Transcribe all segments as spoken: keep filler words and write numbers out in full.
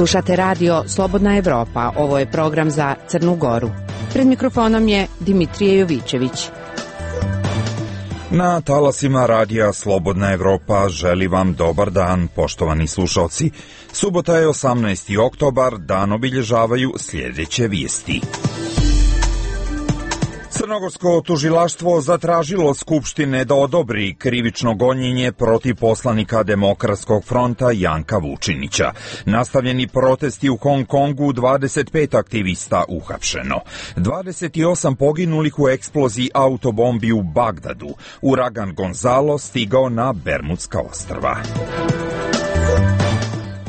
Slušate radio Slobodna Evropa. Ovo je program za Crnu Goru. Pred mikrofonom je Dimitrije Jovićević. Na talasima radija Slobodna Evropa želi vam dobar dan, poštovani slušalci. Subota je osamnaesti oktobar, dan obilježavaju sljedeće vijesti. Crnogorsko tužilaštvo zatražilo Skupštine da odobri krivično gonjenje protiv poslanika Demokratskog fronta Janka Vučinića. Nastavljeni protesti u Hong Kongu, dvadeset pet aktivista uhapšeno. dvadeset osam poginulih u eksploziji autobombi u Bagdadu. Uragan Gonzalo stigao na Bermudska ostrva.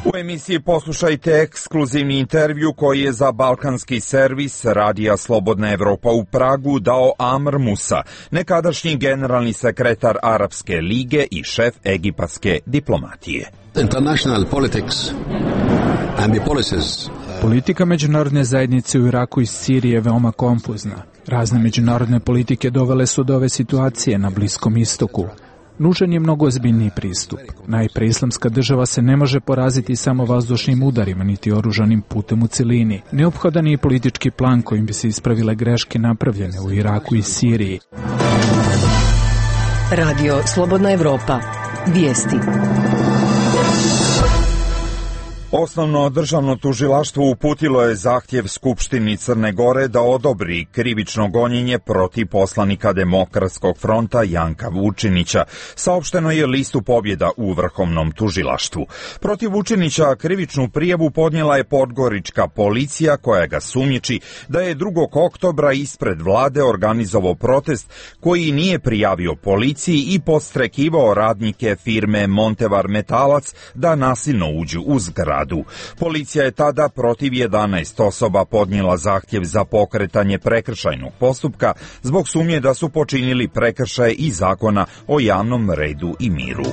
U emisiji poslušajte ekskluzivni intervju koji je za balkanski servis radija Slobodna Evropa u Pragu dao Amr Musa, nekadašnji generalni sekretar Arapske lige i šef egipatske diplomatije. International politics and the policies. Politika međunarodne zajednice u Iraku i Siriji je veoma konfuzna. Razne međunarodne politike dovele su do ove situacije na Bliskom istoku. Nužan je mnogo ozbiljniji pristup. Najpre, Islamska država se ne može poraziti samo vazdušnim udarima, niti oružanim putem u celini. Neophodan je i politički plan kojim bi se ispravile greške napravljene u Iraku i Siriji. Radio Slobodna Evropa. Vijesti. Osnovno državno tužilaštvo uputilo je zahtjev Skupštini Crne Gore da odobri krivično gonjenje protiv poslanika Demokratskog fronta Janka Vučinića. Saopšteno je listu pobjeda u Vrhovnom tužilaštvu. Protiv Vučinića krivičnu prijavu podnijela je podgorička policija koja ga sumnjiči da je drugog oktobra ispred vlade organizovao protest koji nije prijavio policiji i podstrekivao radnike firme Montevar Metalac da nasilno uđu u zgradu. Policija je tada protiv jedanaest osoba podnijela zahtjev za pokretanje prekršajnog postupka zbog sumnje da su počinili prekršaje iz zakona o javnom redu i miru.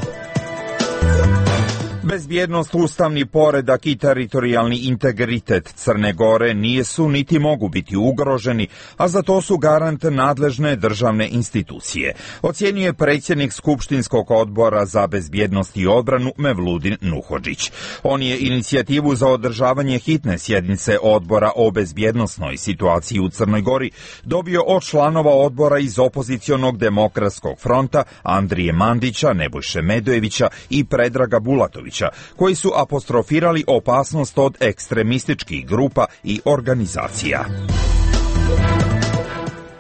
Bezbjednost, ustavni poredak i teritorijalni integritet Crne Gore nisu niti mogu biti ugroženi, a za to su garant nadležne državne institucije, ocjenjuje predsjednik Skupštinskog odbora za bezbjednost i odbranu Mevludin Nuhodžić. On je inicijativu za održavanje hitne sjednice odbora o bezbjednosnoj situaciji u Crnoj Gori dobio od članova odbora iz opozicionog Demokratskog fronta Andrije Mandića, Nebojše Medojevića i Predraga Bulatovića, koji su apostrofirali opasnost od ekstremističkih grupa i organizacija.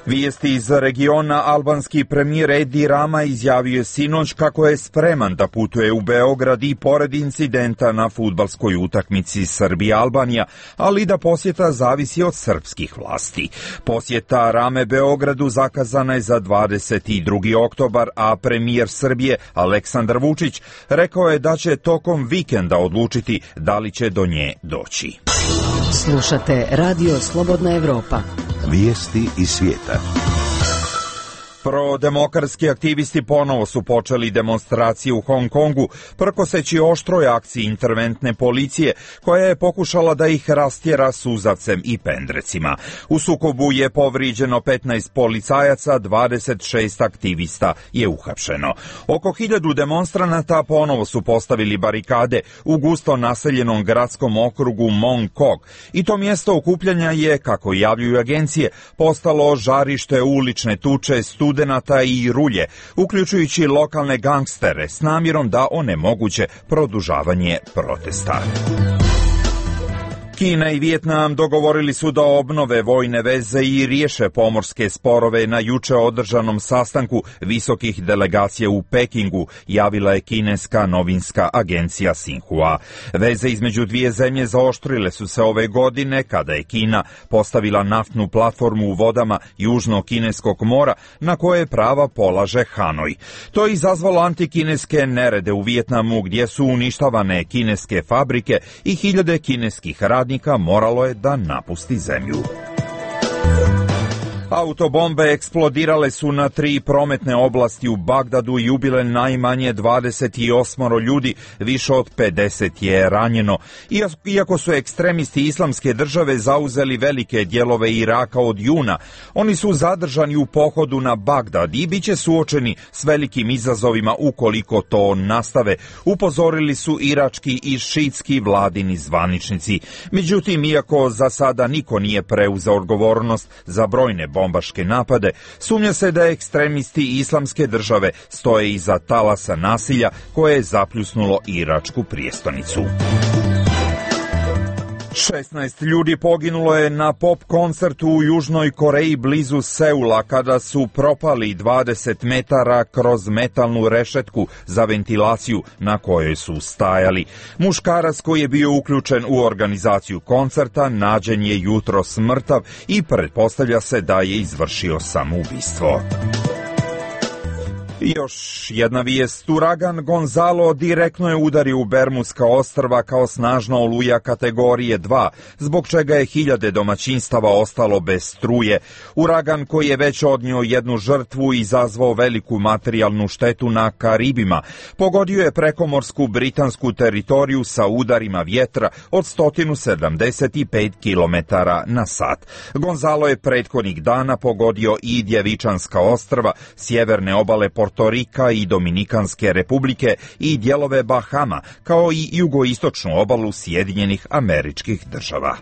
Vijesti iz regiona. Albanski premijer Edi Rama izjavio je sinoć kako je spreman da putuje u Beograd i pored incidenta na fudbalskoj utakmici Srbija-Albanija, ali da posjeta zavisi od srpskih vlasti. Posjeta Rame Beogradu zakazana je za dvadeset drugi oktobar, a premijer Srbije Aleksandar Vučić rekao je da će tokom vikenda odlučiti da li će do nje doći. Slušate radio Slobodna Evropa. Vijesti iz svijeta. Prodemokratski aktivisti ponovo su počeli demonstracije u Hong Kongu, prkoseći oštroj akciji interventne policije, koja je pokušala da ih rastjera suzavcem i pendrecima. U sukobu je povrijeđeno petnaest policajaca, dvadeset šest aktivista je uhapšeno. Oko hiljadu demonstranata ponovo su postavili barikade u gusto naseljenom gradskom okrugu Mong Kok i to mjesto okupljanja je, kako javljuju agencije, postalo žarište ulične tuče, studenata i rulje, uključujući lokalne gangstere s namjerom da onemoguće produžavanje protesta. Kina i Vijetnam dogovorili su da obnove vojne veze i riješe pomorske sporove na juče održanom sastanku visokih delegacija u Pekingu, javila je kineska novinska agencija Xinhua. Veze između dvije zemlje zaoštrile su se ove godine kada je Kina postavila naftnu platformu u vodama Južnog kineskog mora na koje prava polaže Hanoj. To je izazvalo antikineske nerede u Vijetnamu gdje su uništavane kineske fabrike i hiljade kineskih radnika moralo je da napusti zemlju. Autobombe eksplodirale su na tri prometne oblasti u Bagdadu i ubile najmanje dvadeset osam ljudi, više od pedeset je ranjeno. Iako su ekstremisti Islamske države zauzeli velike dijelove Iraka od juna, oni su zadržani u pohodu na Bagdad i bit će suočeni s velikim izazovima ukoliko to nastave, upozorili su irački i šiitski vladini zvaničnici. Međutim, iako za sada niko nije preuzeo odgovornost za brojne bombaške napade, sumnja se da ekstremisti Islamske države stoje iza talasa nasilja koje je zapljusnulo iračku prijestolnicu. šesnaest ljudi poginulo je na pop koncertu u Južnoj Koreji blizu Seula kada su propali dvadeset metara kroz metalnu rešetku za ventilaciju na kojoj su stajali. Muškarac koji je bio uključen u organizaciju koncerta nađen je jutros mrtav i pretpostavlja se da je izvršio samoubistvo. Još jedna vijest. Uragan Gonzalo direktno je udario u Bermudska ostrva kao snažna oluja kategorije dva, zbog čega je hiljade domaćinstava ostalo bez struje. Uragan koji je već odnio jednu žrtvu i izazvao veliku materijalnu štetu na Karibima, pogodio je prekomorsku britansku teritoriju sa udarima vjetra od sto sedamdeset pet kilometara na sat. Gonzalo je prethodnih dana pogodio i Djevičanska ostrva, sjeverne obale Portorika i Dominikanske republike i dijelove Bahama, kao i jugoistočnu obalu Sjedinjenih Američkih Država.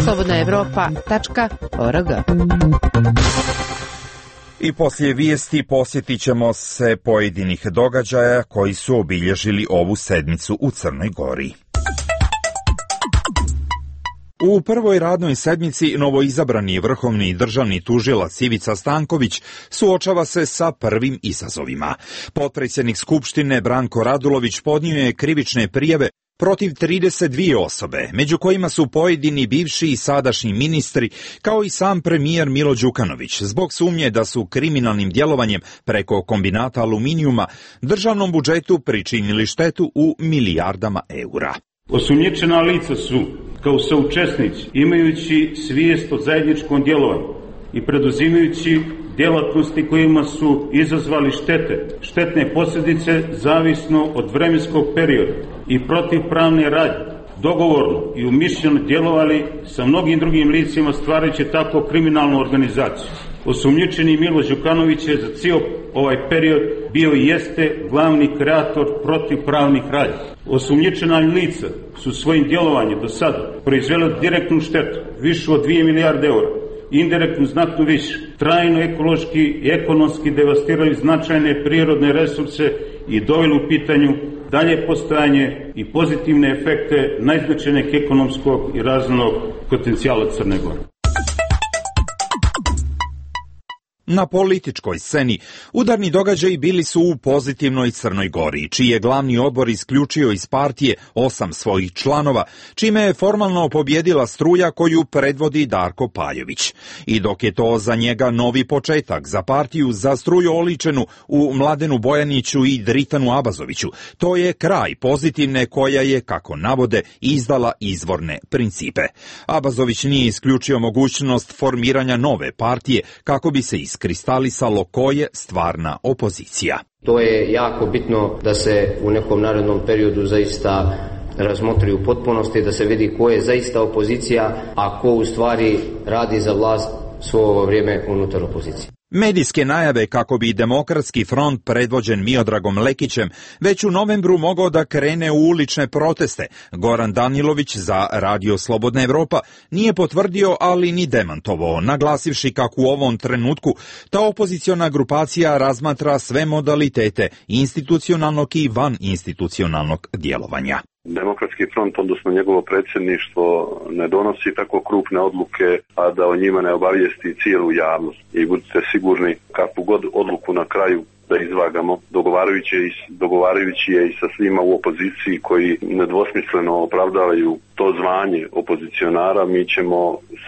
slobodna evropa tačka org. I poslije vijesti posjetit ćemo se pojedinih događaja koji su obilježili ovu sedmicu u Crnoj Gori. U prvoj radnoj sedmici novoizabrani vrhovni državni tužilac Ivica Stanković suočava se sa prvim izazovima. Potpredsjednik Skupštine Branko Radulović podnio je krivične prijave protiv trideset dvije osobe, među kojima su pojedini bivši i sadašnji ministri, kao i sam premijer Milo Đukanović, zbog sumnje da su kriminalnim djelovanjem preko kombinata aluminijuma državnom budžetu pričinili štetu u milijardama eura. Osumnjičena lica su, kao saučesnici, imajući svijest o zajedničkom djelovanju i preduzimajući djelatnosti kojima su izazvali štete, štetne posljedice zavisno od vremenskog perioda i protivpravne radnje, dogovorno i umišljeno djelovali sa mnogim drugim licima stvarajući tako kriminalnu organizaciju. Osumnjičeni Milo Đukanović je za cijel ovaj period bio i jeste glavni kreator protivpravnih radnji. Osumnjičena lica su svojim djelovanjem do sada proizvela direktnu štetu višu od dvije milijarde eura, indirektnu znatno više, trajno ekološki i ekonomski devastirali značajne prirodne resurse i doveli u pitanju dalje postojanje i pozitivne efekte najznačajnijeg ekonomskog i razvojnog potencijala Crne Gore. Na političkoj sceni udarni događaji bili su u pozitivnoj Crnoj Gori, čiji je glavni odbor isključio iz partije osam svojih članova, čime je formalno pobjedila struja koju predvodi Darko Paljović. I dok je to za njega novi početak za partiju za struju oličenu u Mladenu Bojaniću i Dritanu Abazoviću, to je kraj pozitivne koja je, kako navode, izdala izvorne principe. Abazović nije isključio mogućnost formiranja nove partije kako bi se iskristalisalo ko je stvarna opozicija. To je jako bitno da se u nekom narednom periodu zaista razmotri u potpunosti, da se vidi ko je zaista opozicija, a ko u stvari radi za vlast svo ovo vrijeme unutar opozicije. Medijske najave kako bi Demokratski front predvođen Miodragom Lekićem već u novembru mogao da krene u ulične proteste, Goran Danilović za Radio Slobodna Evropa nije potvrdio, ali ni demantovao, naglasivši kako u ovom trenutku ta opoziciona grupacija razmatra sve modalitete institucionalnog i vaninstitucionalnog djelovanja. Demokratski front, odnosno njegovo predsjedništvo, ne donosi tako krupne odluke, a da o njima ne obavijesti cijelu javnost. I budite sigurni, kakvu god odluku na kraju da izvagamo, dogovarajući, dogovarajući je i sa svima u opoziciji koji nedvosmisleno opravdavaju to zvanje opozicionara, mi ćemo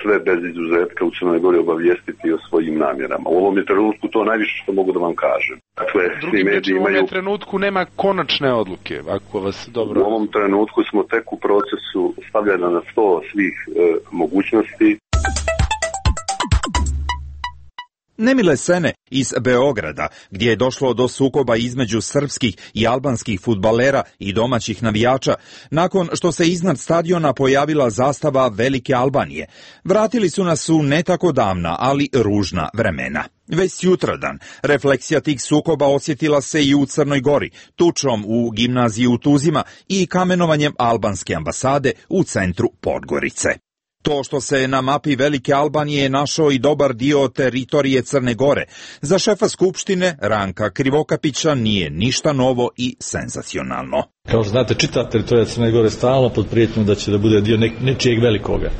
sve bez izuzetka u Crnoj Gori obavijestiti o svojim namjerama. U ovom je trenutku to najviše što mogu da vam kažem. Dakle, svi mediji imaju... U ovom trenutku nema konačne odluke, ako vas dobro... U ovom trenutku smo tek u procesu stavljanja na sto svih e, mogućnosti. Nemile scene iz Beograda, gdje je došlo do sukoba između srpskih i albanskih fudbalera i domaćih navijača, nakon što se iznad stadiona pojavila zastava Velike Albanije. Vratili su nas u ne tako davna, ali ružna vremena. Već sutradan refleksija tih sukoba osjetila se i u Crnoj Gori, tučom u gimnaziji u Tuzima i kamenovanjem albanske ambasade u centru Podgorice. To što se na mapi Velike Albanije našao i dobar dio teritorije Crne Gore, za šefa Skupštine Ranka Krivokapića nije ništa novo i senzacionalno. Kao što znate, čita teritorija Crne Gore stalno pod prijetnjom da će da bude dio ne, nečijeg velikoga.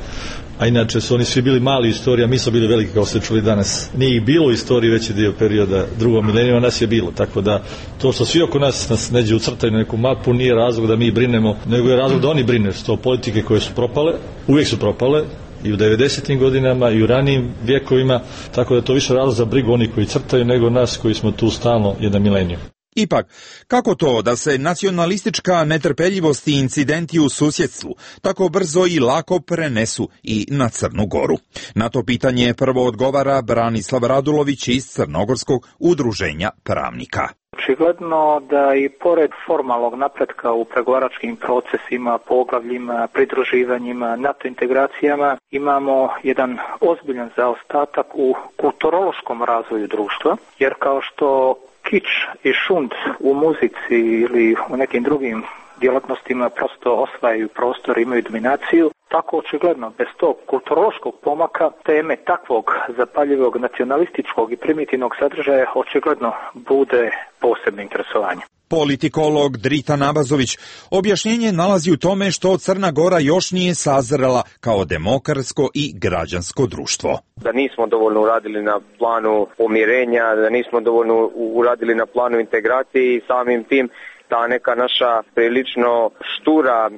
A inače su oni svi bili mali u istoriji, a mi smo bili veliki kao ste čuli danas. Nije ih bilo u istoriji veći dio perioda drugog milenijuma, nas je bilo. Tako da to što svi oko nas nas neđe ucrtaju na neku mapu nije razlog da mi brinemo, nego je razlog da oni brine. To politike koje su propale, uvijek su propale, i u devedesetim godinama i u ranijim vjekovima, tako da je to više razlog za brigu oni koji crtaju nego nas koji smo tu stalno jedan milenijum. Ipak, kako to da se nacionalistička netrpeljivost i incidenti u susjedstvu tako brzo i lako prenesu i na Crnu Goru? Na to pitanje prvo odgovara Branislav Radulović iz Crnogorskog udruženja pravnika. Očigledno da i pored formalnog napretka u pregovaračkim procesima, poglavljima, pridruživanjima, NATO integracijama imamo jedan ozbiljan zaostatak u kulturološkom razvoju društva, jer kao što kič i šund u muzici ili u nekim drugim djelatnostima prosto osvajaju prostor, imaju dominaciju, tako očigledno bez tog kulturološkog pomaka teme takvog zapaljivog nacionalističkog i primitivnog sadržaja očigledno bude posebno interesovanje. Politikolog Drita Nabazović objašnjenje nalazi u tome što Crna Gora još nije sazrela kao demokratsko i građansko društvo. Da nismo dovoljno uradili na planu pomirenja, da nismo dovoljno uradili na planu integracije i samim tim ta neka naša prilično štura,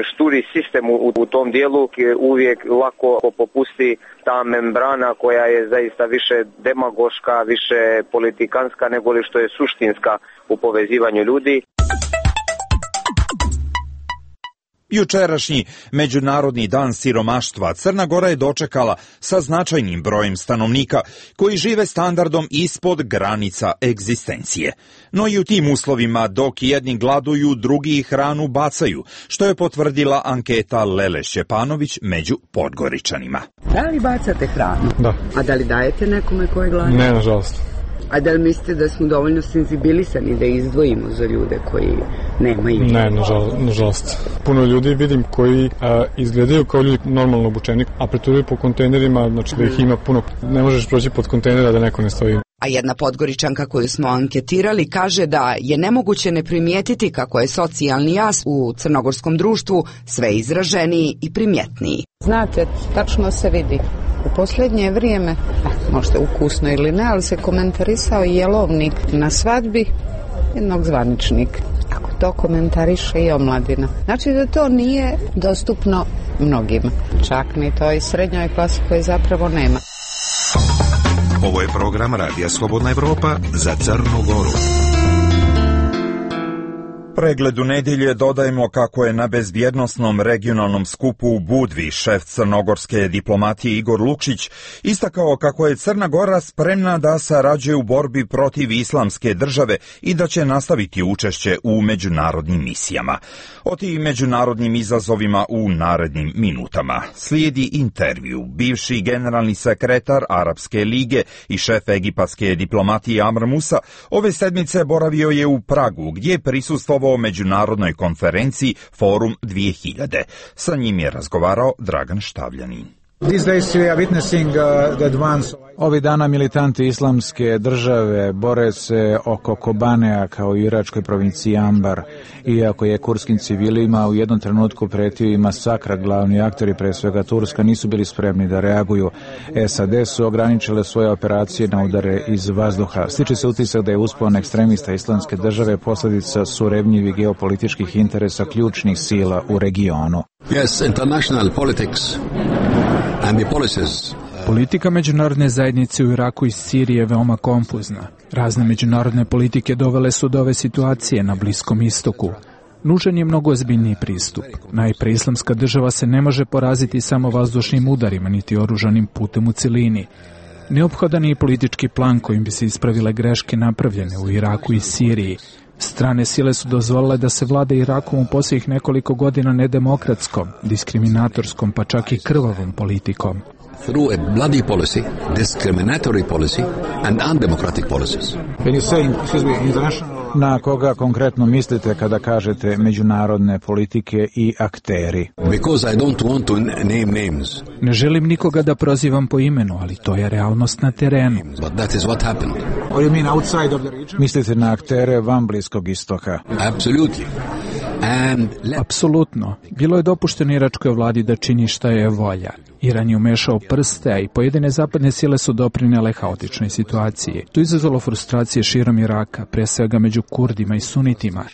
šturi sistem u, u tom dijelu uvijek lako popusti ta membrana koja je zaista više demagoška, više politikanska nego li što je suštinska u povezivanju ljudi. Jučerašnji Međunarodni dan siromaštva Crna Gora je dočekala sa značajnim brojem stanovnika koji žive standardom ispod granica egzistencije. No i u tim uslovima dok jedni gladuju, drugi hranu bacaju, što je potvrdila anketa Lele Šćepanović među Podgoričanima. Da li bacate hranu? Da. A da li dajete nekome koji glada? Ne, nažalost. A da li mislite da smo dovoljno senzibilisani da izdvojimo za ljude koji nemaju? Ne, nažalost. nažalost. Puno ljudi vidim koji a, izgledaju kao ljudi normalno obučeni, a preturuju po kontejnerima, znači da ih ima puno. Ne možeš proći pod kontejnera da neko ne stoji. A jedna Podgoričanka koju smo anketirali kaže da je nemoguće ne primijetiti kako je socijalni jaz u crnogorskom društvu sve izraženiji i primjetniji. Znate, tačno se vidi. U posljednje vrijeme, možda ukusno ili ne, ali se komentarisao jelovnik na svadbi jednog zvaničnika. Kako to komentariše i omladina. Znači da to nije dostupno mnogima. Čak ni toj srednjoj klasi koje zapravo nema. Ovo je program Radija Slobodna Evropa za Crnu Goru. Pregledu nedjelje dodajemo kako je na bezbjednosnom regionalnom skupu u Budvi šef crnogorske diplomatije Igor Lukšić istakao kako je Crna Gora spremna da sarađuje u borbi protiv islamske države i da će nastaviti učešće u međunarodnim misijama. O tim međunarodnim izazovima u narednim minutama. Slijedi intervju. Bivši generalni sekretar Arapske lige i šef egipatske diplomatije Amr Musa ove sedmice boravio je u Pragu, gdje je prisustvovao o međunarodnoj konferenciji Forum dvije hiljade. Sa njim je razgovarao Dragan Štavljanin. Ovih dana militanti islamske države bore se oko Kobanea kao i u iračkoj provinciji Ambar. Iako je kurskim civilima u jednom trenutku pretio i masakra, glavni aktori, pre svega Turska, nisu bili spremni da reaguju. S A D su ograničile svoje operacije na udare iz vazduha. Stiče se utisak da je uspon ekstremista islamske države posljedica surevnjivih geopolitičkih interesa ključnih sila u regionu. Yes, international politics and the policies. Politika međunarodne zajednice u Iraku i Siriji je veoma konfuzna. Razne međunarodne politike dovele su do ove situacije na Bliskom istoku. Nužan je mnogo ozbiljniji pristup. Najpre, islamska država se ne može poraziti samo vazdušnim udarima, niti oružanim putem u cilini. Neophodan je i politički plan kojim bi se ispravile greške napravljene u Iraku i Siriji. Strane sile su dozvolile da se vlada Irakom u posljednjih nekoliko godina nedemokratskom, diskriminatorskom, pa čak i krvavom politikom. Through a bloody policy, discriminatory policy and undemocratic policies. Can you say, excuse me, international... Na koga konkretno mislite kada kažete međunarodne politike i akteri? Because I don't want to name names. Ne želim nikoga da prozivam po imenu, ali to je realnost na terenu. But that is what happened. Or you mean outside of the region? Mislite na aktere van Bliskog istoka? Absolutely. And let... Apsolutno. Bilo je dopušteno iračkoj vladi da čini šta je volja. Iran je umešao prste, a i pojedine zapadne sile su doprinele haotičnoj situaciji. To je izazvalo frustracije širom Iraka, pre svega među Kurdima i Sunitima.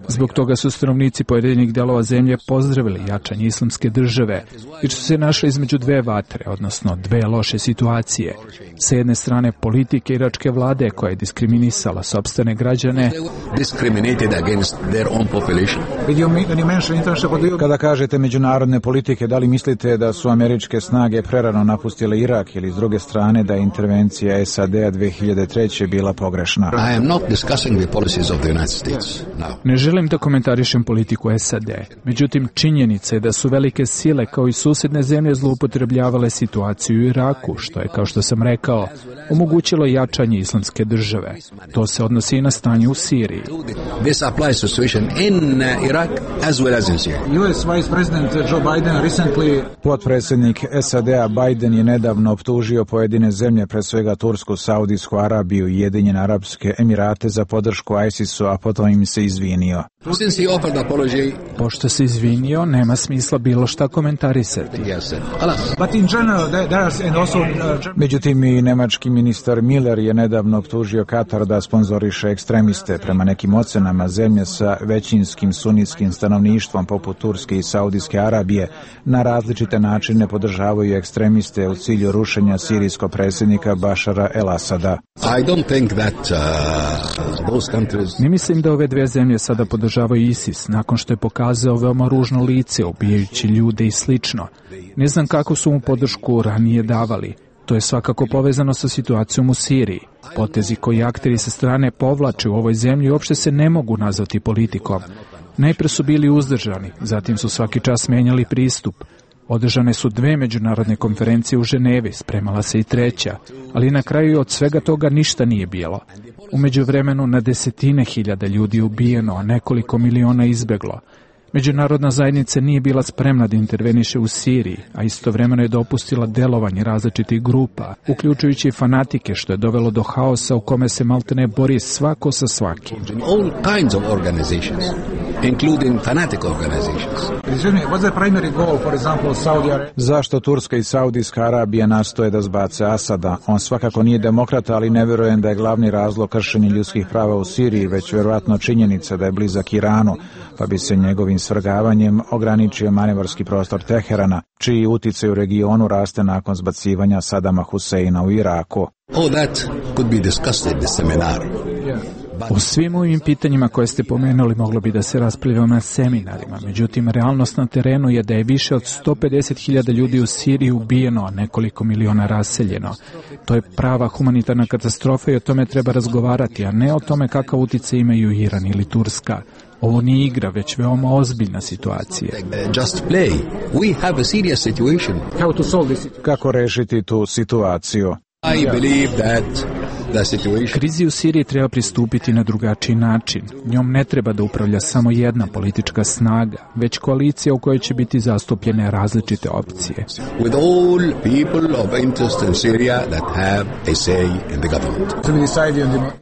Zbog toga su stanovnici pojedinih delova zemlje pozdravili jačanje islamske države, jer su se našli između dve vatre, odnosno dve loše situacije. Sa jedne strane politike iračke vlade koja je diskriminisala sopstvene građane, kada kažete međunarodne politike, da li mislite da su američke snage prerano napustile Irak ili s druge strane da je intervencija S A D-a dve hiljade treće bila pogrešna? I am not discussing the policies of the United States. No. Ne želim da komentarišem politiku S A D. Međutim, činjenica je da su velike sile kao i susjedne zemlje zloupotrebljavale situaciju u Iraku, što je, kao što sam rekao, omogućilo jačanje islamske države. To se odnosi i na stanje u Siriji. This applies to situation in Iraq as well as in Syria. U S Vice President Joe Biden recently... Potpredsjednik S A D-a Biden je nedavno optužio pojedine zemlje, pre svega Tursku, Saudijsku Arabiju i Ujedinjene Arapske Emirate za podršku ISIS-u, a potom im se izvinio. Pošto se izvinio, nema smisla bilo šta komentarisati. Međutim, i nemački ministar Miller je nedavno optužio Katar da sponzoriše ekstremiste. Prema nekim ocenama, zemlje sa većinskim sunitskim stanovništvom poput Turske i Saudijske Arabije na različite načine podržavaju ekstremiste u cilju rušenja sirijskog predsjednika Bašara el-Asada. I don't think that, uh, those countries... Ne mislim da ove dve zemlje sada podržavaju ISIS, nakon što je pokazao veoma ružno lice, ubijajući ljude i slično. Ne znam kako su mu podršku ranije davali. To je svakako povezano sa situacijom u Siriji. Potezi koji akteri sa strane povlače u ovoj zemlji uopšte se ne mogu nazvati politikom. Najpre su bili uzdržani, zatim su svaki čas menjali pristup. Održane su dve međunarodne konferencije u Ženevi, spremala se i treća, ali na kraju od svega toga ništa nije bilo. U međuvremenu na desetine hiljada ljudi je ubijeno, a nekoliko miliona izbeglo. Međunarodna zajednica nije bila spremna da interveniše u Siriji, a istovremeno je dopustila delovanje različitih grupa, uključujući i fanatike, što je dovelo do haosa u kome se maltene bori svako sa svakim. All kinds of organizations, including fanatic organizations. Zašto Turska i Saudijska Arabija nastoje da zbace Asada? On svakako nije demokrata, ali ne vjerujem da je glavni razlog kršenja ljudskih prava u Siriji, već vjerovatno činjenica da je blizak Iranu, pa bi se njegovim svrgavanjem ograničio manevarski prostor Teherana, čiji uticaj u regionu raste nakon zbacivanja Sadama Huseina u Iraku. Oh, that could be discussed in the seminar. O svim ovim pitanjima koje ste pomenuli moglo bi da se raspravljamo na seminarima, međutim realnost na terenu je da je više od sto pedeset hiljada ljudi u Siriji ubijeno, a nekoliko miliona raseljeno. To je prava humanitarna katastrofa i o tome treba razgovarati, a ne o tome kakav uticaj imaju Iran ili Turska. Ovo nije igra, već veoma ozbiljna situacija. Just play. We have a serious situation. How to solve this? Kako rešiti tu situaciju? I believe that the situation... Krizi u Siriji treba pristupiti na drugačiji način. Njom ne treba da upravlja samo jedna politička snaga, već koalicija u kojoj će biti zastupljene različite opcije. With all people of interest in Syria that have a say in the government.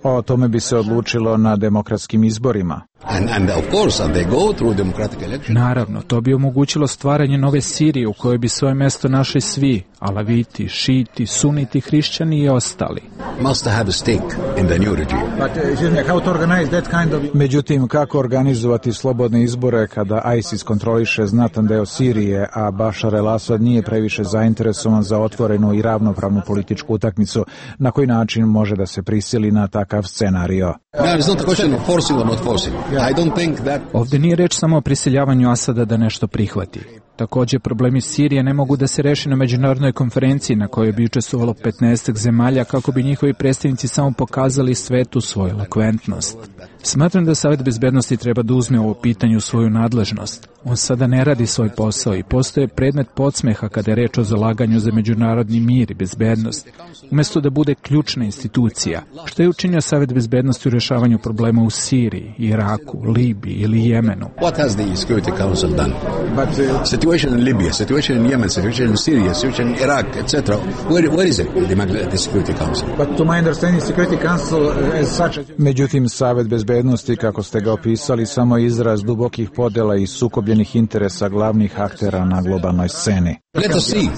O tome bi se odlučilo na demokratskim izborima. And, and of course, and they go through democratic elections. Naravno, to bi omogućilo stvaranje nove Sirije u kojoj bi svoje mesto našli svi, alaviti, šiti, suniti, hrišćani i ostali. Must have a stake in the new regime. But, uh, how to organize that kind of... Međutim, kako organizovati slobodne izbore kada ISIS kontroliše znatan deo Sirije, a Bašar el-Asad nije previše zainteresovan za otvorenu i ravnopravnu političku utakmicu, na koji način može da se prisili na takav scenario? No, it's not a question of forcing or not forcing. I don't think that... Ovdje nije reč samo o prisiljavanju Asada da nešto prihvati. Također, problemi Sirije ne mogu da se reši na međunarodnoj konferenciji na kojoj bi učestvovalo petnaest zemalja kako bi njihovi predstavnici samo pokazali svetu svoju elokventnost. Smatram da Savet bezbednosti treba da uzme ovo pitanje u svoju nadležnost. On sada ne radi svoj posao i postoje predmet podsmeha kada je reč o zalaganju za međunarodni mir i bezbednost, umjesto da bude ključna institucija. Što je učinio Savet bezbednosti u rješavanju problema u Siriji, Iraku, Libiji ili Jemenu? What has the Security Council done? But uh, situation in Libya, situation in Yemen, situation in Syria, situation in Iraq, et cetera. Where, where is it, the, the Security Council? But to my understanding, Security Council as such. Međutim, Savet bezbednosti, kako ste ga opisali, samo izraz dubokih podela i sukobljenih interesa glavnih aktera na globalnoj sceni. Let us see.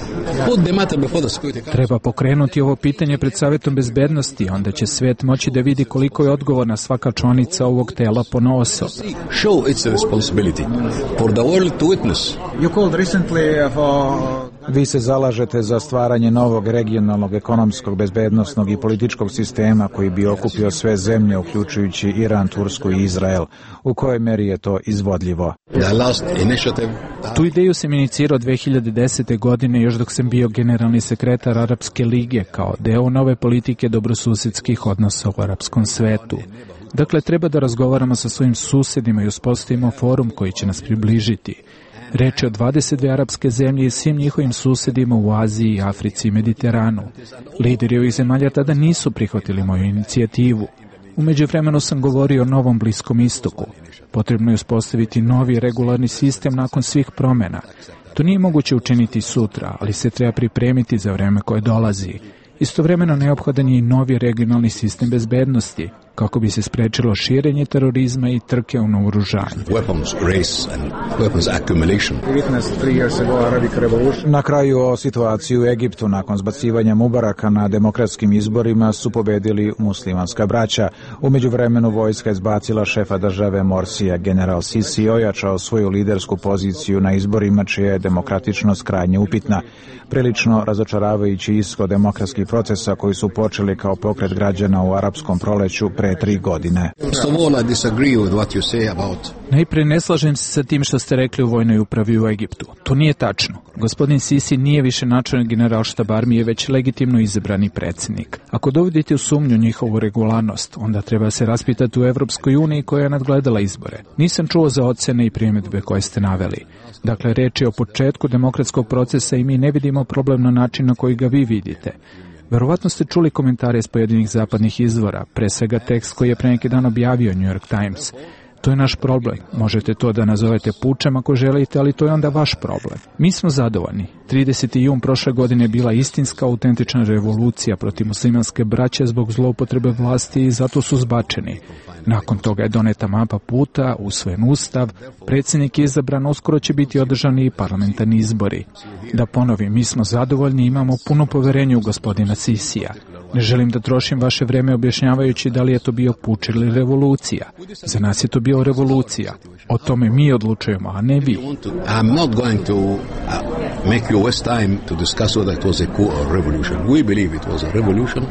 Put the matter before the Security Council. Treba pokrenuti ovo pitanje pred Savetom bezbednosti, onda će svijet moći da vidi koliko je odgovorna svaka članica ovog tela ponaosob. Show its responsibility for the world to witness. You called recently for... Vi se zalažete za stvaranje novog regionalnog, ekonomskog, bezbednosnog i političkog sistema koji bi okupio sve zemlje, uključujući Iran, Tursku i Izrael. U kojoj meri je to izvodljivo? Tu ideju sam inicirao dve hiljade desete. godine, još dok sam bio generalni sekretar Arapske lige, kao deo nove politike dobrosusedskih odnosa u arapskom svetu. Dakle, treba da razgovaramo sa svojim susedima i uspostavimo forum koji će nas približiti. Reč je o dvadeset dve arapske zemlje i svim njihovim susedima u Aziji, Africi i Mediteranu. Lideri ovih zemalja tada nisu prihvatili moju inicijativu. U međuvremenu sam govorio o novom Bliskom istoku. Potrebno je uspostaviti novi regularni sistem nakon svih promjena. To nije moguće učiniti sutra, ali se treba pripremiti za vreme koje dolazi. Istovremeno neophodan je i novi regionalni sistem bezbednosti, kako bi se sprečilo širenje terorizma i trke u naoružanju. Na kraju o situaciji u Egiptu nakon zbacivanja Mubaraka na demokratskim izborima su pobedili muslimanska braća. U međuvremenu vojska je zbacila šefa države Morsija. General Sisi ojačao svoju lidersku poziciju na izborima čija je demokratičnost krajnje upitna. Prilično razočaravajući ishod demokratskih procesa koji su počeli kao pokret građana u arapskom proleću pre tri godine. Najprije ne slažem se sa tim što ste rekli u vojnoj upravi u Egiptu. To nije tačno. Gospodin Sisi nije više načelnik generalštab armije, već legitimno izabrani predsjednik. Ako dovodite u sumnju njihovu regularnost, onda treba se raspitati u Evropskoj uniji koja je nadgledala izbore. Nisam čuo za ocene i primjedbe koje ste naveli. Dakle, reč je o početku demokratskog procesa i mi ne vidimo problem na način na koji ga vi vidite. Verovatno ste čuli komentare iz pojedinih zapadnih izvora, pre svega tekst koji je pre neki dan objavio New York Times. To je naš problem. Možete to da nazovete pučem ako želite, ali to je onda vaš problem. Mi smo zadovoljni. trideseti jun prošle godine je bila istinska, autentična revolucija protiv muslimanske braće zbog zloupotrebe vlasti i zato su zbačeni. Nakon toga je doneta mapa puta, usvojen ustav, predsjednik je izabran, uskoro će biti održani i parlamentarni izbori. Da ponovim, mi smo zadovoljni i imamo puno poverenje u gospodina Sisija. Ne želim da trošim vaše vreme objašnjavajući da li je to bio puč ili revolucija. Za nas je to bio revolucija. O tome mi odlučujemo, a ne vi. I'm not going to uh, make you waste time to discuss whether it was a coup or revolution. We believe it was a revolution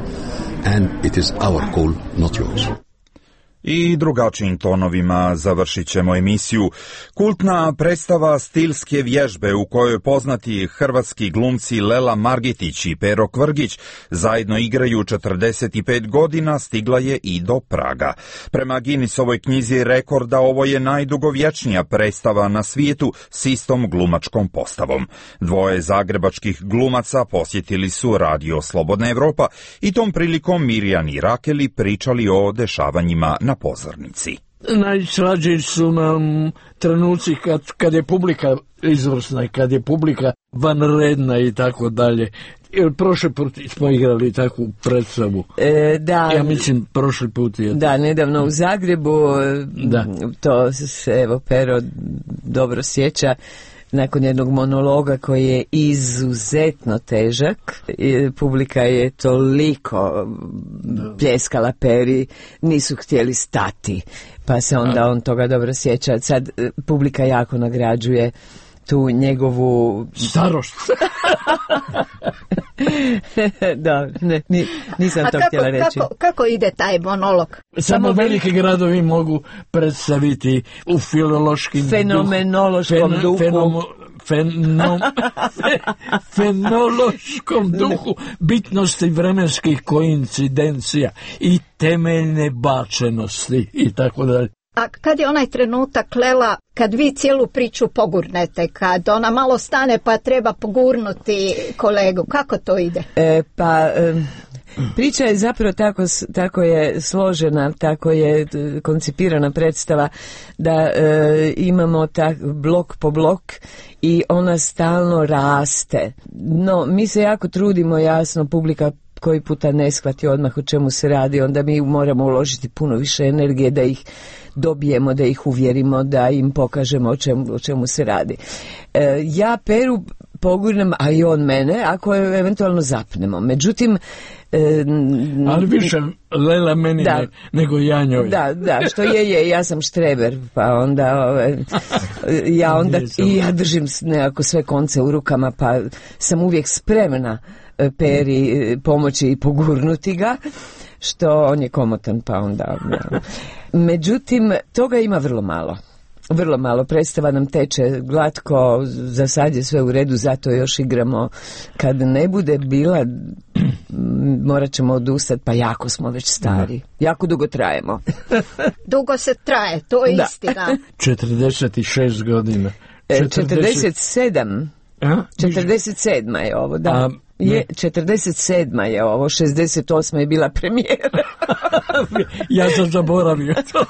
and it is our call, not yours. I drugačijim tonovima završit ćemo emisiju. Kultna predstava Stilske vježbe u kojoj poznati hrvatski glumci Lela Margitić i Pero Kvrgić zajedno igraju četrdeset pet godina stigla je i do Praga. Prema Guinnessovoj knjizi rekorda ovo je najdugovječnija predstava na svijetu s istom glumačkom postavom. Dvoje zagrebačkih glumaca posjetili su Radio Slobodna Evropa i tom prilikom Mirjan i Rakeli pričali o dešavanjima na pozornici. Najslađi su nam trenuci kad, kad je publika izvrsna i kad je publika vanredna i tako dalje. Prošli put smo igrali takvu predstavu. E, da, ja mislim prošli put je. Da, nedavno u Zagrebu. Da. To se evo Pero dobro sjeća. Nakon jednog monologa koji je izuzetno težak, publika je toliko pljeskala Peri, nisu htjeli stati, pa se onda on toga dobro sjeća. Sad publika jako nagrađuje tu njegovu starost. Da, ne, nisam A to kako, htjela reći. Kako, kako ide taj monolog? Samo, Samo veliki gradovi mogu predstaviti u filološkim fenomenološkom duhu, duhu. Fenom, feno, fenološkom duhu bitnosti vremenskih koincidencija i temeljne bačenosti i tako dalje. A kad je onaj trenutak, Lela, kad vi cijelu priču pogurnete, kad ona malo stane pa treba pogurnuti kolegu, kako to ide? E, pa... E... Priča je zapravo tako, tako je složena, tako je koncipirana predstava da e, imamo tak blok po blok i ona stalno raste. No, mi se jako trudimo, jasno, publika koji puta ne shvati odmah o čemu se radi, onda mi moramo uložiti puno više energije da ih dobijemo, da ih uvjerimo, da im pokažemo o čemu, o čemu se radi. E, ja Peru pogurnem, a i on mene, ako je eventualno zapnemo. Međutim, E, ali više Lela meni da, ne, nego ja njoj. Da, da, što je, je, ja sam štreber, pa onda ove, ja onda i ja držim nekako sve konce u rukama, pa sam uvijek spremna Peri pomoći i pogurnuti ga, što on je komotan, pa onda... Ja. Međutim, toga ima vrlo malo. Vrlo malo, predstava nam teče glatko, za sad je sve u redu, zato još igramo. Kad ne bude bila, morat ćemo odustati, pa jako smo već stari. Da. Jako dugo trajemo. Dugo se traje, to je da. Istina. četrdeset šest godina. četrdeset, četrdeset sedam. A? četrdeset sedma je ovo, da. A, je, četrdeset sedma je ovo, šezdeset osma je bila premijera. Ja sam zaboravio to.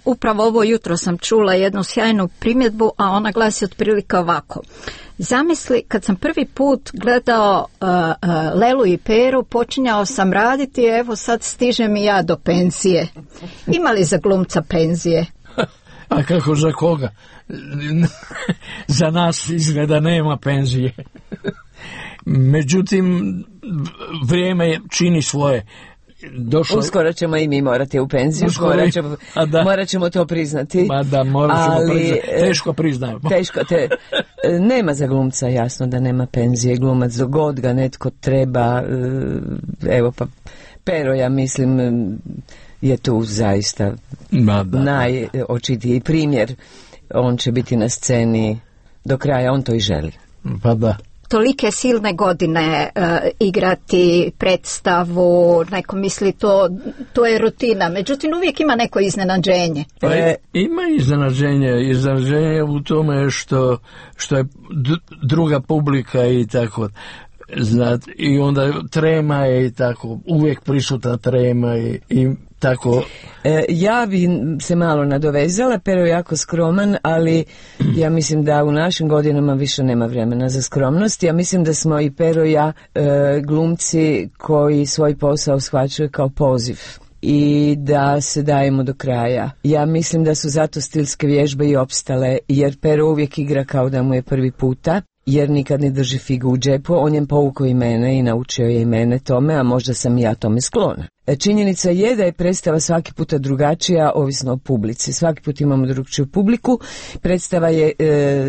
Upravo ovo jutro sam čula jednu sjajnu primjedbu, a ona glasi otprilike ovako. Zamisli, kad sam prvi put gledao uh, uh, Lelu i Peru, počinjao sam raditi, evo sad stižem i ja do penzije. Ima li za glumca penzije? A kako za koga? Za nas izgleda nema penzije. Međutim, vrijeme čini svoje. Došlo... Uskoro ćemo i mi morati u penziju, morat ćemo, da. morat ćemo to priznati. Ma da, morat ćemo ali, priznati. Teško priznajemo. Teško, te, nema za glumca, jasno da nema penzije. Glumac dogod ga netko treba, evo pa Pero, ja mislim, je tu zaista Ma da. najočitiji primjer. On će biti na sceni do kraja, on to i želi. Pa da. Tolike silne godine uh, igrati predstavu, neko misli to, to je rutina, međutim uvijek ima neko iznenađenje. Pa e, ima iznenađenje, iznenađenje u tome što, što je d- druga publika i tako, znat, i onda trema je i tako, uvijek prisutna trema i, i tako. E, ja bi se malo nadovezala, Pero je jako skroman, ali ja mislim da u našim godinama više nema vremena za skromnost. Ja mislim da smo i Pero i ja e, glumci koji svoj posao shvaćaju kao poziv i da se dajemo do kraja. Ja mislim da su zato stilske vježbe i opstale, jer Pero uvijek igra kao da mu je prvi puta, jer nikad ne drži figu u džepu. On je povukao i mene i naučio je i mene tome, a možda sam i ja tome sklona. Činjenica je da je predstava svaki puta drugačija, ovisno o publici. Svaki put imamo drugčiju publiku. Predstava je e,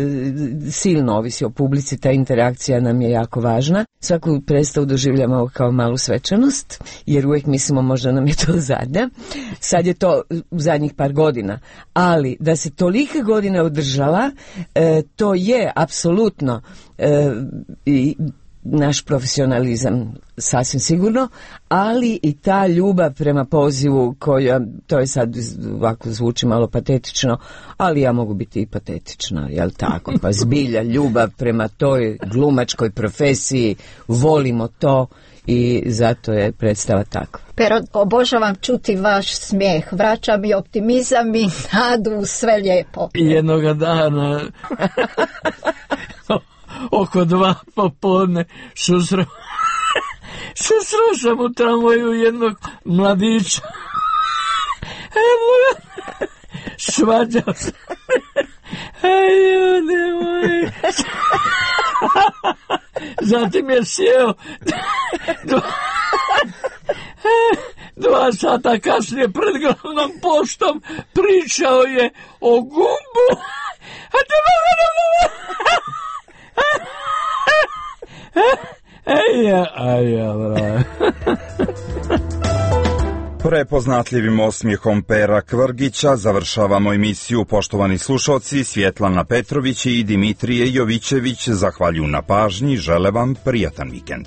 silno ovisi o publici, ta interakcija nam je jako važna. Svaku predstavu doživljamo kao malu svečanost, jer uvijek mislimo možda nam je to zadnja. Sad je to u zadnjih par godina. Ali da se tolike godine održala, e, to je apsolutno e, i naš profesionalizam sasvim sigurno, ali i ta ljubav prema pozivu koja, to je sad ovako zvuči malo patetično, ali ja mogu biti i patetična, jel tako? Pa zbilja ljubav prema toj glumačkoj profesiji, volimo to i zato je predstava takva. Pero, obožavam čuti vaš smijeh, vraća mi optimizam i nadu, sve lijepo. I jednoga dana oko dva popodne susro susro sam u tramvaju jednog mladića. Evo, svađao se. Ej, ljudi moji. Zatim je sjeo dva, dva sata kasnije pred glavnom poštom pričao je o gumbu. A te mogu da mogu. Ej, ja, aj, ja, bravo. Prepoznatljivim osmijehom Pera Kvrgića završavamo emisiju. Poštovani slušalci, Svjetlana Petrović i Dimitrije Jovićević zahvaljuju na pažnji, žele vam prijatan vikend.